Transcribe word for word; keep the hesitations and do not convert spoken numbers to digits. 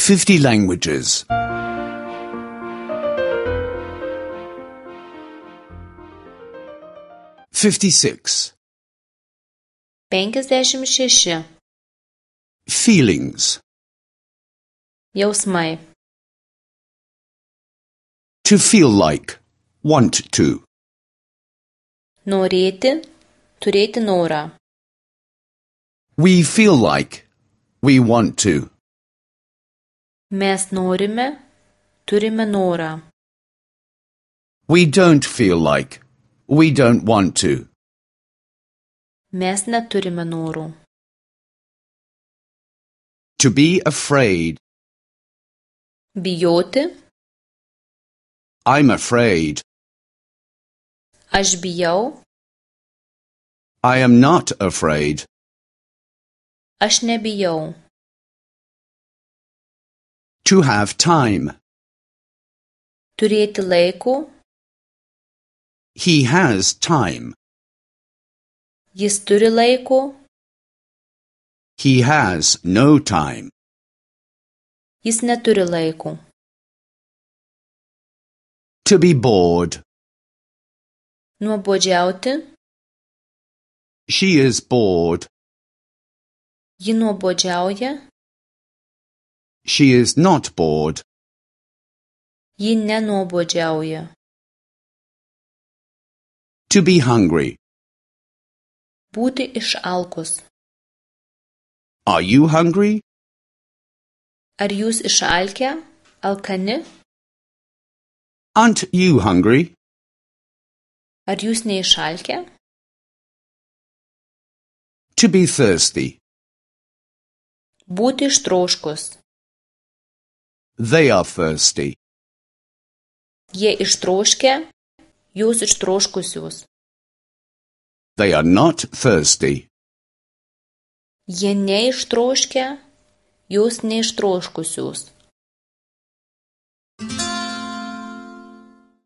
fifty languages. fifty-six. penkiasdešimt šeši. Feelings. Jausmai. To feel like. Want to. Norėti, turėti norą. We feel like. We want to. Mes norime, turime norą. We don't feel like. We don't want to. Mes neturime norų. To be afraid. Bijoti. I'm afraid. Aš bijau. I am not afraid. Aš nebijau. To have time. Turėti laiko. He has time. Jis turi laiko. He has no time. Jis neturi laiko. To be bored. Nuobodžiauti. She is bored. Ji nuobodžiauja. She is not bored. Ji nenuobodžiauja. To be hungry. Būti išalkus. Are you hungry? Ar jūs išalkę, alkani? Aren't you hungry? Ar jūs neišalkę? To be thirsty. Būti ištroškus. They are thirsty. Jie ištroškę, jūs ištroškusius. They are not thirsty. Jie neištroškę, jūs neištroškusius.